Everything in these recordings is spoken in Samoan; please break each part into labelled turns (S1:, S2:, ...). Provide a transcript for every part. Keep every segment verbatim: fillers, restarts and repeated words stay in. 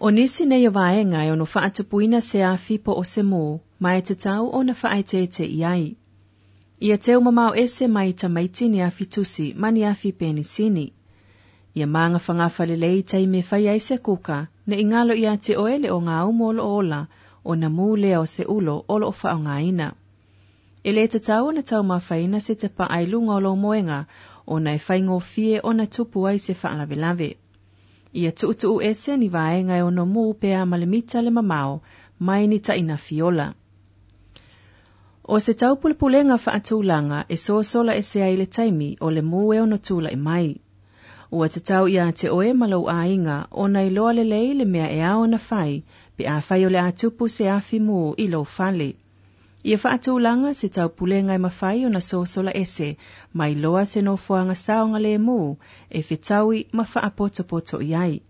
S1: O nisi nei o vaega e ono faatupuina se afi po o se mū, ma e tatau ona faaeteete i ai. Ia teu mamao ese mai tamaiti ni afi tusi ma ni afi penisini. Ia magafagafa lelei i taimi e fai ai se kuka, ne i galo ia te oe le ogaumu o loo ola, ona mū lea o se ulo o loo faaaogaina. E lē tatau ona taumafaina se tapaa i luga o lou moega, ona e faigofie ona tupu ai se faalavelave. Ia tuutuu ese ni vaega e ono mū pe a ma le mita le mamao, mai ni tainafi ola. O se taupulepulega faatulaga e sosola ese ai le taimi o le mū e ono tulai mai. Ua tatau ia te oe ma lou aiga ona iloa lelei le mea e ao ona fai, pe afai o le a tupu se afi mū i lou fale. Ia faatulaga se taupulega e mafai ona sosola ese, ma iloa se nofoaga saogalemu e fetaui ma faapotopoto i ai.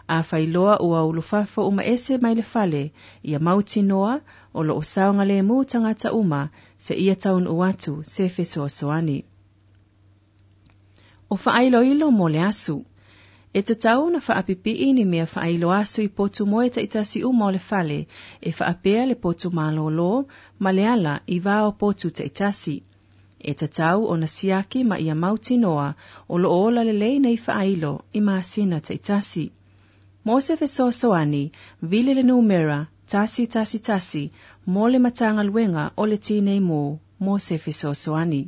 S1: Afai loa ua ulufafo uma ese mai le fale, ia mautinoa o loo saogalemu tagata uma seia taunuu atu se fesoasoani. O faailoilo mo le asu. E tatau ona faapipii ni mea faailo asu i potu moe taitasi uma o le fale, e faapea le potu malōlō ma le ala i va o potu taitasi. E tatau ona siaki ma ia mautinoa o loo ola lelei nei faailo i masina taitasi. Mo se fesoasoani, vili le numera tasi tasi tasi mo le Matagaluega o le Tinei Mu mo se fesoasoani.